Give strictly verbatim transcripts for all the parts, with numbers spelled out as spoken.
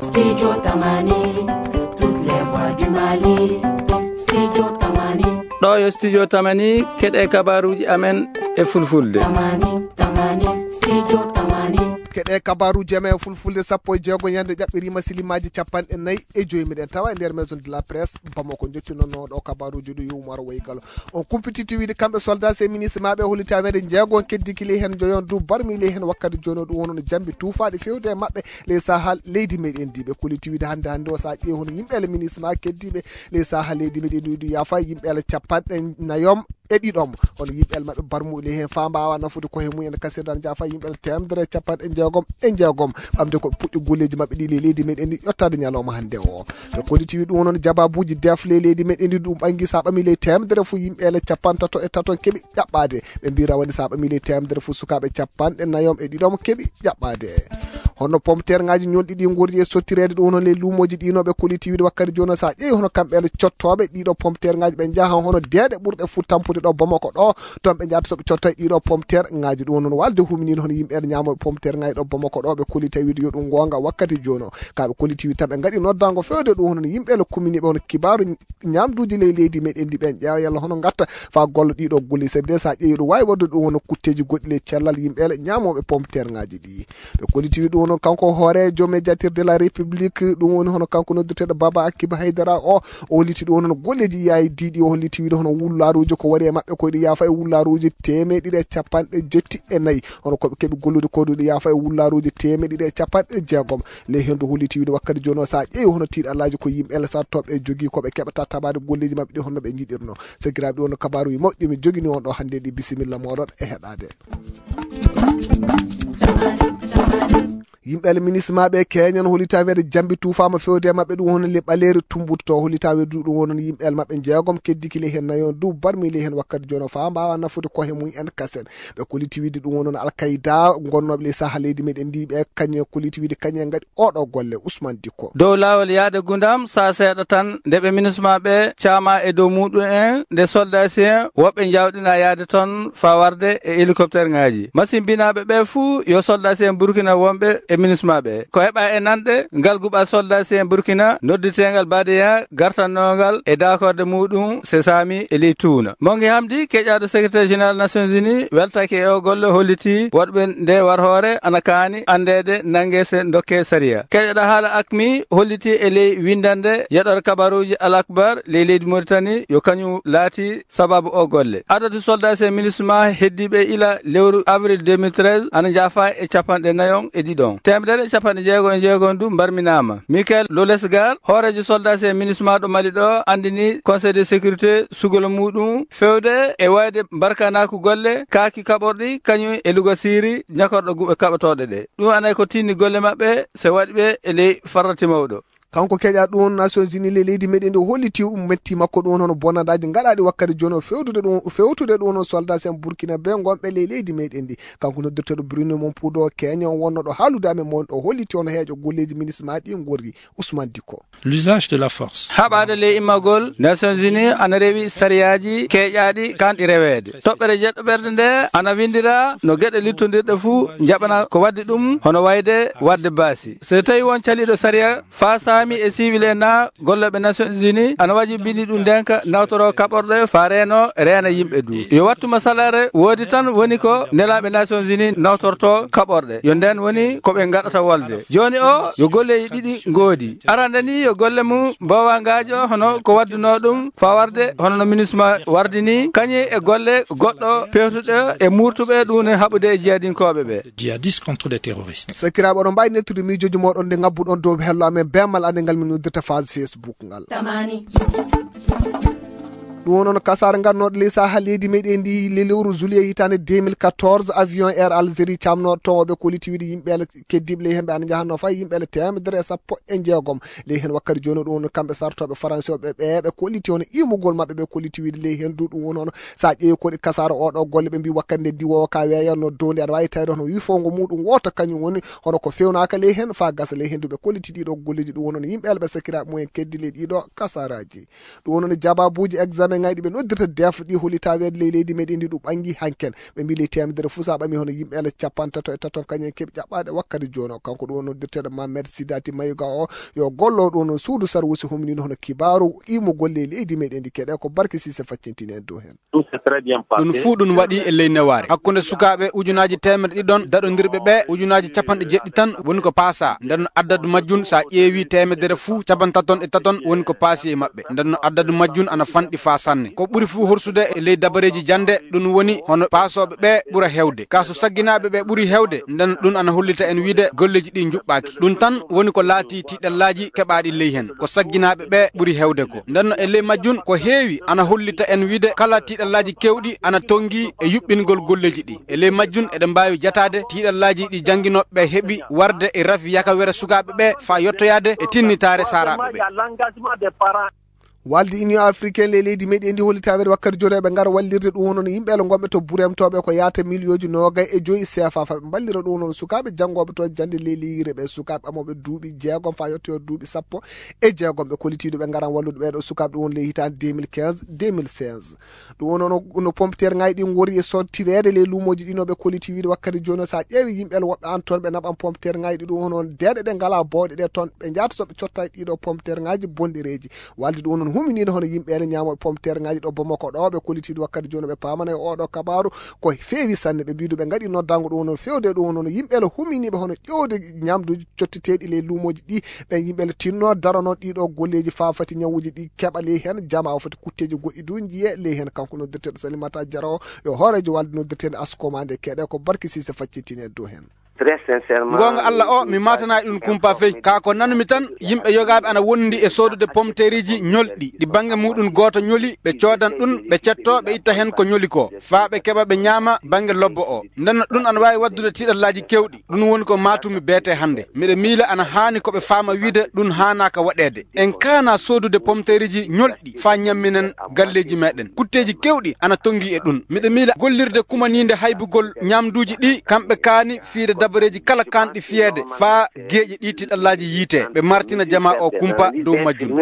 Studio Tamani, toutes les voix du Mali. Studio Tamani. Ɗo yo Studio Tamani, keɗe kabaruji amen e fulfulde. Tamani, Tamani, Studio Tamani. Keɗe kabaruji amen e fulfulde sappo e jeego ñande ƴaɓɓirima silimaaji capanɗe nayi e joyi. Miɗen tawa e nder maison de la presse Bamako, jottinonno ɗo kabaruji ɗu yumaro woyi galo. On kumpititi wiide kamɓe soldat e ministre maɓe holliti amen de jeego on keddi kili hen joyon du barmi ley hen wakkati jono ɗum wono no jambi tuufaɗi fewde e maɓɓe ley saha leydi meɗen ndi. Ɓe kolliti wiide hannde hannde o sa ƴeewi hono yimɓe ele ministre ma keddiɓe ley saha leydi meɗen ndi ɗum yafa yimɓe ele capanɗe nayom e ɗiɗom. Hono yimɓe ele maɓɓe barmuɓe ley hen fa mbawa nafude koye mumen kasirdan jafa yimɓe ele temedere e capanɗe jeegom e jeegom ɓamde ko ɓe puɗɗi golleji maɓɓe ɗi ley leydi meɗen ndi ƴettade ñalawma hannde o. Ɓe kolliti wi ɗum wonon jababuji def ley leydi meɗen ndi ɗum ɓangi sa ɓami ley temedere fof yimɓe ele capantato e taton keɓi ƴaɓɓade. Ɓe mbi rawani sa ɓami ley temedere fof sukaɓe capanɗe nayom e ɗiɗom keɓi ƴaɓɓade. Hono pomterŋaji ñolɗi ɗi gordi e sottirede ɗum hono ley lumoji ɗinoɓe kolliti wiide wakkati joni sa ƴeewi hono kamɓe ene cottoɓe ɗiɗo pomterŋaji ɓe jaaha hono deeɗe ɓurɗe fuu tampude ɗo Bamako ɗo. Toon ɓe jahata soɓe cotta e ɗiɗo pomterŋaji ɗum hono walde huminino hono yimɓe ene ñamoɓe pomterŋaji ɗo Bamako ɗo ɓe kolliti wiide yo ɗum gonga wakkati joni o. Kaɓe kolliti wiide tan ɓe gaɗi noddango fewde ɗum hono yimɓe ene kuminiɓe hono kibaru ñamduji ley leydi meɗen ndi ɓen ƴeewa yalla hono gatta fa golla ɗiɗo golli sabi de sa ƴeewi ɗum wawi wadde ɗum hono kutteji goɗɗi ley cellal yimɓe ele ñamoɓe pomterŋaji ɗi. Ɓe kolliti wi ɗum hono kanko hoorejo médiateur de la république ɗum woni hono kanko noddirteɗo baba akiba haydara o. O holliti ɗum hono golleji yayi diɗi o holliti wiide hono wullaruji ko waɗi e maɓɓe koye ɗum yafa e wullaruji temeɗiɗi e capanɗe jetti e nayi. Hono koɓe keɓi gollude ko ɗum yafa e wullaruji temeɗiɗi e capanɗe jeegom. Ley hendu holliti wiide wakkati joni o sa ƴeewi hono tiiɗallaji ko yimɓe ele sattoɓe jogui koɓe keɓata taɓade golleji maɓɓe ɗi honno ɓe jiɗirno. Sakiraɓe ɗum hono kabaruji mawɗi mi jogini on ɗo hannde ɗi bisimilla moɗon e heɗade. Yimɓe alminismaɓe keñan holita weede jambi tufama fewde e maɓɓe ɗum hono le ɓaleeri tumbuto to holita weede ɗum wonon yimɓe el maɓɓe jeegom keddi kile hen nayon du barmi le hen wakkati jono fa mbawa nafude kohe mum en kasen. Ɓe koliti wiide ɗum wonon alkayda gonnoɓe le saha leydi meɗen ndi ɓe kañe koliti wiide kañe gaɗi oɗo golle. Usman Dikko. Dow laawol yahde Gundam, saa seeɗa tan, nde ɓe minisma ɓe caama e dow muɗum en, nde soldaasi en woɓɓe njawɗina yahde toon faa warde e helikopterŋaaji. Masimbinaaɓe ɓe fuu yo soldaasi en Burkina wonɓe e minisma ɓe. Ko heɓa e nanɗe, ngal guɓal soldaasi en Burkina nodditeengal Badeya gartannongal e daakorde muɗum Sesami e ley Tuuna. Mongi Hamdi, keƴaaɗo Secrétaire Général Nations Unies, weltake e o golle, holliti woɗɓe nde warhoore ana kaani anndeede, nannge se dokke sariya. Keƴoɗo haala akmi holliti e ley winndannde yeɗoore kabaruuji Al Akbar ley leydi Moritani yo kañum laati sababu o golle. Adadu soldaasi e minisma heddiiɓe ila lewru avril deux mille treize ana njaafa e capanɗe nayon e ɗiɗon. Teemedere e capanɗe jeego e jeego ndu mbarminaama. Michael Lolesgar, hooreejo soldaasi e minisma ɗo Mali ɗo, anndini Conseil de sécurité sugol muɗum fewde e wayde mbarkanaaku golle kaaki kaɓorɗi kañum e lugo siiri ñakorɗo guɓe kaɓotooɗe ɗe. Ɗum anay ko tinni golle maɓɓe se waɗi ɓe e ley farrati mawɗo. Kanko keƴa ɗum Nations Unies le leydi meɗen ndi holliti um metti makko ɗum hono bonandaji gaɗaɗi wakkati jono fewtude ɗum fewtude ɗum hono soldat en Burkina be gonɓe le leydi meɗen ndi. Kanko noddirteɗo Bruno Mompudo Kenya on wonno ɗo haalude amen mon ɗo holliti hono heeƴo golleji minisma ɗi gorri. Usman Dikko. L'usage de la force. Haɓaade ley immagol, Nations Unies ana rewi sariyaaji keeƴaaɗi kanɗi reweede. Toɓɓere jeɗɗo ɓerde nde ana winndira no geɗe littondirɗe fuu njaɓana ko waɗde ɗum, hono wayde waɗde baasi. So tawi won caliiɗo sariya faa saami e siwil en na gollooɓe Nations Unies ana wajibini ɗum ndenka nawtoroo kaɓorɗe faa reeno reena yimɓe du. Yo wattu masalaare woodi tan woni ko nelaaɓe Nations Unies nawtortoo kaɓorɗe. Yo nden woni ko ɓe ngaɗata wolde. Jooni o yo golleeji ɗiɗi ngoodi. Arande ni yo golle mum mboowangaajo hono ko waddunoo ɗum faa warde hono no minisma wardi ni, kañum e golle goɗɗo pewtuɗe e muurtuɓe ɗum ne haɓude e jihadinkooɓe ɓe. Djihadistes contre des terroristes. Sakiraaɓe, oɗon mbaawi nettude miijooji mooɗon nde ngabbuɗon dow hello amen beemal ande ngal min noddirta phase Facebook ngal. Tamani. Ɗum woni noon kasaara ngannooɗo ley saha leydi meɗen ndi le lewru juillet hitaande deux mille quatorze, avion Air Algérie camnooɗo towoɓe ko liti wiide yimɓe ele keddiiɓe ley hemɓe ana njahatnoo fay yimɓe ele teemedere e sappo e jeegom. Ley heen wakkati jooni ɗum woni kamɓe sartooɓe faransi o ɓe ɓe ɓe kolliti hono imugol maɓɓe ɓe kolliti wiide ley heen du ɗum woni hono sa ƴeewi koɗi kasaara oɗo golle ɓe mbi wakkati nde diwoowo ka weeyanno dow nde aɗa waawi tawde hono wifongo muɗum wooto kañum woni hono ko fewnaaka ley heen fa gasa ley heen du ɓe kolliti ɗiɗo golleji ɗum woni hono yimɓe ele ɓe sakiraaɓe mumen keddi ley ɗiɗo kasaaraaji. Ɗum woni hono jababuuji examen Ŋayɗi ɓe noddirta def ɗi holi taweede ley leydi meɗen ndi ɗum ɓangi hanken. Ɓe mbi ley temedere fuu sa ɓami hono yimɓe ele capantato e taton kañen keɓi ƴaɓɓaade wakkati jooni o. Kanko ɗum o noddirteeɗo Mamed Sidati Mayuga o yo gollo ɗum noon suudu sarwusi humniino hono kibaaru imugol ley leydi meɗen ndi keɗe ko Barki Sise faccintini en dow heen. Ɗum fuu ɗum waɗi e ley newaare hakkunde sukaaɓe ujunaaji teemedde ɗiɗon daɗondirɓe ɓe ujunaaji capanɗe jeɗɗi tan woni ko paasa. Nden no addadu majjun sa ƴeewi temedere fuu capantaton e taton woni ko paasi e maɓɓe. Nden no addadu majjun ana fanɗi faa sanne. Ko ɓuri fuu horsude e ley dabareeji jannde ɗum woni hono paasooɓe ɓe ɓura heewde. Kaa so sagginaaɓe ɓe ɓuri heewde, nden ɗum ana hollita en wiide golleeji ɗi njuɓɓaaki. Ɗum tan woni ko laati tiiɗallaaji keɓaaɗi ley heen. Ko sagginaaɓe ɓe ɓuri heewde ko. Nden no e ley majjun ko heewi ana hollita en wiide kala tiiɗallaaji keewɗi ana tonngi e yuɓɓingol golleeji ɗi. E ley majjun eɗen mbaawi jataade tiiɗallaaji ɗi jannginooɓe ɓe heɓi warde e rafi yakawere sukaaɓe ɓe faa yottoyaade e tinnitaare saaraaɓe ɓe. Walde Union Africaine ley leydi meɗen ndi holli taweede wakkati jooni eɓe ngara wallirde ɗum hono no yimɓe ele ngonɓe to buremtooɓe ko yaata miliyooji noogay e joyi C F A faa ɓe mballira ɗum hono sukaaɓe janngooɓe toon jannde ley leyire ɓe sukaaɓe amooɓe duuɓi jeegom faa yottoyo duuɓi sappo e jeegom ɓe kollitiiɗo ɓe ngaran wallude ɓeeɗo sukaaɓe ɗum woni ley hitaande deux mille quinze deux mille seize. Ɗum woni no, no pompiteer ŋaaji ɗi ngori e sottireede ley luumooji ɗi no ɓe kolliti wiide wakkati jooni o so a ƴeewi yimɓe ele woɓɓe an toon ɓe naɓan pompiteer ŋaaji ɗi ɗum woni on deeɗe ɗe ngalaa booɗe ɗe toon ɓe njaata so ɓe cotta e ɗiɗo pompiteer ŋaaji bonɗereeji. Walde ɗum woni huminiiɗo hono yimɓe ene ñaamo e pompiteer ŋaaji ɗo Bamako ɗo ɓe kollitiiɗo wakkati jooni ɓe paamana e oɗo kabaaru ko feewi sanne ɓe mbiidu ɓe ngaɗi noddango ɗum woni feewde ɗum woni yimɓe ele huminiiɓe hono ƴeewde ñamduuji cottiteeɗi ley luumooji ɗi ɓe yimɓe ele tinno darano ɗiɗo golleeji faa fati ñawuuji ɗi keɓa ley heen jama o foti kutteeji goɗɗi du njiye ley heen kanko noddirteeɗo Salimata Jara o yo hooreejo walde noddirteeɗo Askoma nde keɗe ko Barki Sise faccitini e dow heen. Très sincèrement, goonga Allah o mi maatanayi ɗum kumpa fey kaa ko nanumi tan yimɓe yogaaɓe ana wondi e soodude pomteeriji ñolɗi ɗi bannge muɗum gooto ñoli ɓe coodan ɗum ɓe cetto ɓe itta heen ko ñoli ko faa ɓe keɓa ɓe ñaama bannge lobbo o. Ndenno ɗum ana waawi waddude tiiɗallaaji keewɗi. Ɗum woni ko maatumi beete hannde. Miɗo miila ana haani ko ɓe faama wiide ɗum haanaaka waɗeede. En kaana soodude pomteeriji ñolɗi faa ñamminen galleeji meɗen. Kutteeji keewɗi ana tonngi e ɗum. Miɗo miila gollirde kumaniinde haybugol ñaamduuji ɗi kamɓe kaani fiide dabareeji kala kaanɗi fiyeede faa geeƴe ɗi tiiɗallaaji yiite. Ɓe martina jamaa o kumpa dow majjum.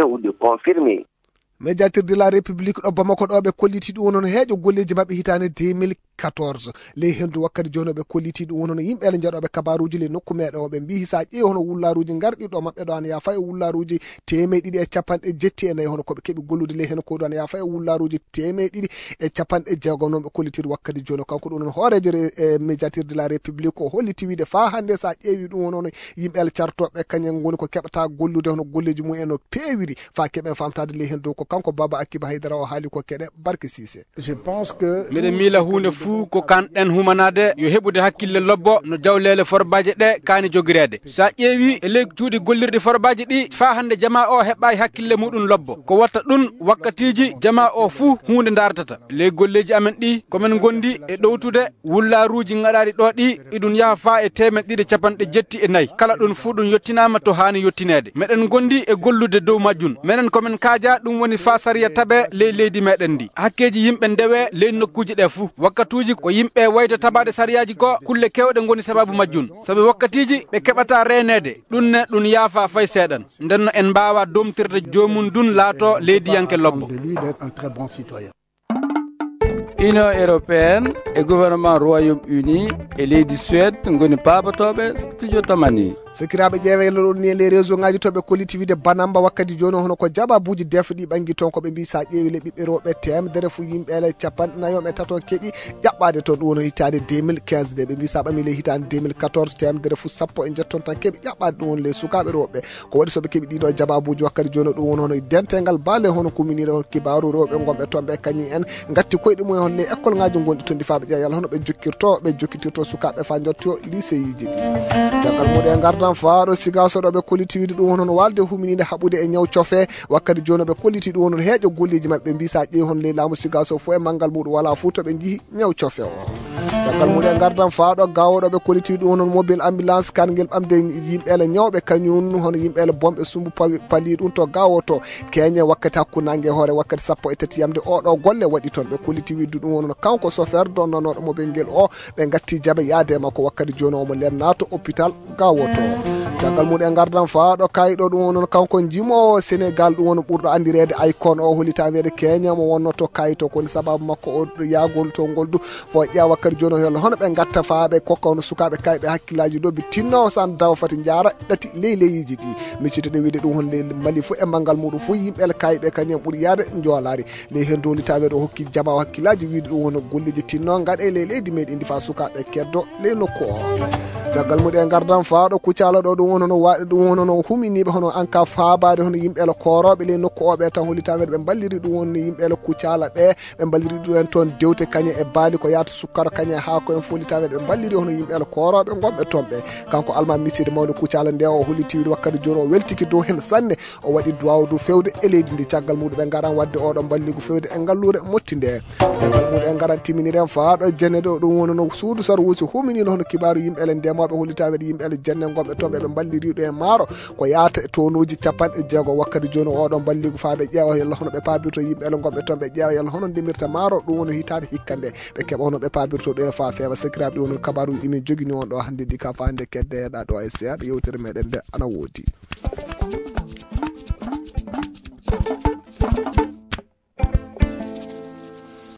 Médiateur de la République ɗo Bamako ɗo ɓe kolliti ɗum woni heeƴo golleeji maɓɓe hitaande deux mille quatorze. Ley henndu wakkati jooni o ɓe kolliti ɗum woni yimɓe ele njaɗooɓe kabaaruuji ley nokku meɗen o ɓe mbii so a ƴeewi hono wullaaruuji ngarɗi ɗo maɓɓe ɗo ana yaafa e wullaaruuji teemeɗe ɗiɗi e capanɗe jetti e nayi hono ko ɓe keɓi gollude ley heen ko ɗo ana yaafa e wullaaruuji teemeɗe ɗiɗi e capanɗe jeegom noon ɓe kollitiri wakkati jooni o kanko ɗum noon hooreejo re- e médiateur de la République o holliti wiide faa hannde so a ƴeewi ɗum woni yimɓe ele cartooɓe kañen ngoni ko keɓata gollude hono golleeji mum en no peewiri faa keɓen famtaade ley heen dow ko kanko Baba Akiba Haydara o haali ko keɗe Barke Siise. Miɗo miila huunde fuu ko kanɗen humanaade yo heɓude hakkille lobbo no jawleele forbaaje ɗe kaani jogireede. So a ƴeewi e ley cuuɗi gollirɗi forbaaji ɗi faa hannde jamaa o heɓaay hakkille muɗum lobbo ko watta ɗum wakkatiiji jamaa o fuu huunde ndaartata ley golleeji amen ɗi ko men ngondi e ɗowtude wullaaruuji ngaɗaaɗi ɗo ɗi iɗum yaha faa e teemeɗe ɗiɗi capanɗe jetti e nayi kala ɗum fuu ɗum yottinaama to haani yottineede meɗen ngondi e gollude dow majjum menen ko men kaaja ɗum woni faa sariya taɓe ley leydi meɗen ndi hakkeeji yimɓe ndewe ley nokkuuji ɗe fuu wakkatuuji ko yimɓe wayta tabaade sariyaaji ko kulle keewɗe ngoni sababu majjum sabi wakkatiiji ɓe keɓata reeneede ɗum ne ɗum yaafa fay seeɗan ndenno en mbaawa domtirde joomum dun laato leydiyanke lobbo. Union européenne e gouvernement Royaume-Uni e leydi Suède ngoni paabotooɓe studio tamani. Sakiraaɓe ƴeewe yalla ɗon ni e les réseau ngaji to ɓe kolliti wiide banamba wakkati jooni hono ko jababuuji defɗi ɓangi toon ko ɓe mbi sa ƴeewi le ɓiɓɓe rewɓe temedere fuu yimɓe ele capanɗe nayo e taton keɓi ƴaɓɓaade toon ɗum woni hitaande deux mille quinze nde ɓe mbi sa ɓami le hitaande deux mille quatorze temedere fuu sappo e jetton tan keɓi ƴaɓɓaade ɗum woni les sukaaɓe rewɓe ko waɗi so ɓe keɓi ɗiɗo jababuuji wakkati jooni ɗum woni hono dentegal baale hono kuminiɗo kibaaru rewɓe gonɓe toon ɓe kañi en ngatti koyɗe mumen hono les école ngaji gonɗi toon ndi faa ɓe ƴeewa yalla hono ɓe jokkirto ɓe jokkitirto sukaaɓe faa jotto lycée yiji ɗi caggal muɗum e ngardan faaɗo sigaso ɗo ɓe kolliti wiide ɗum hono no walde huminide haɓude e ñaw cofe wakkati jooni ɓe kolliti ɗum hono heeƴo golleji maɓɓe mbi sa ƴeewi hono ley laamu sigaso fof e manngal muɗum wala fof to ɓe jeehi ñaw cofe o caggal mum e ngardan faaɗo gawoɗo ɓe kolliti ɗum hono mobile ambulance kangel ɓamde yimɓe ele ñawɓe kañum hono yimɓe ele bonɓe sumbu pawi pali ɗum to gawoto keñe wakkati hakku nangue hoore wakkati sappo e tati yamde oɗo golle waɗi toon ɓe kolliti widdu ɗum hono kanko chauffeur donnanoɗo mobile ngel o ɓe gatti jaabe yaade makko wakkati joni omo len nato hôpital gawoto Caggal mum en ngardan faa ɗo kayɗo ɗum woni kanko jimoowo Senegal ɗum woni ɓurɗo anndireede Icon o hollitaweede Kenya mo wonnoto kayto ko woni sababu makko o yaagol to ngol du fo ƴeewa wakkati jooni o yalla hono ɓe ngatta faa ɓe kokka hono sukaaɓe kayɓe hakkillaaji ɗo ɓe tinno san dawa fati njaara ɗati ley leyiiji ɗi miccitani wiide ɗum hon ley Mali fof e manngal muɗum fof yimɓe kayɓe kañum ɓuri yaade njoolaari ley heen dowlitaaɓe ɗo hokki jama o hakkillaaji wiide ɗum woni golleeji tinno ngaɗe ley leydi meɗen ndi faa sukaaɓe keddo ley nokku o. Caggal mum en ngardan faa ɗo Kucala ɗo ɗum woni hono waɗe ɗum woni hono huminiiɓe hono anka faabaade hono yimɓe koorooɓe ley nokku o ɓe tan hollitaaɓe ɓe mballiri ɗum woni yimɓe Kucala ɓe ɓe mballiri ɗum en toon dewte kañe e baali ko yaata sukkara kañe haa ko en follitaaɓe ɓe mballiri hono yimɓe koorooɓe ngonɓe toon ɓe. Kanko alma misiri mawni Kucala nde o holliti wakkati jooni o weltiki dow heen sanne o waɗi duwaaw du fewde e leydi ndi caggal muɗum ɓe ngaran waɗde oɗo mballigu fewde e ngalluure motti nde. Caggal muɗum en ngaran timminiren faa ɗo jenne ɗo ɗum woni no suudu sarwuusi huminino hono kibaaru yimɓe ele ndemooɓe hollitaaɓe ɗe yimɓe ele jenne ngonɓe toon ɓe ɓe mballiriɗo e maaro ko yaata e tonuuji capanɗe jeego wakkati jooni oɗo mballigu faa ɓe ƴeewa yalla hono ɓe paabirto yimɓe ele ngonɓe toon ɓe ƴeewa yalla hono ndemirta maaro ɗum woni hitaande hikka nde ɓe keɓa hono ɓe paabirto ɗo e faa feewa sakiraaɓe ɗum woni kabaaruji ɗi min jogini on ɗo hannde ɗi ka faa nde kedde heɗa ɗo e seeɗa yewtere meɗen nde ana woodi.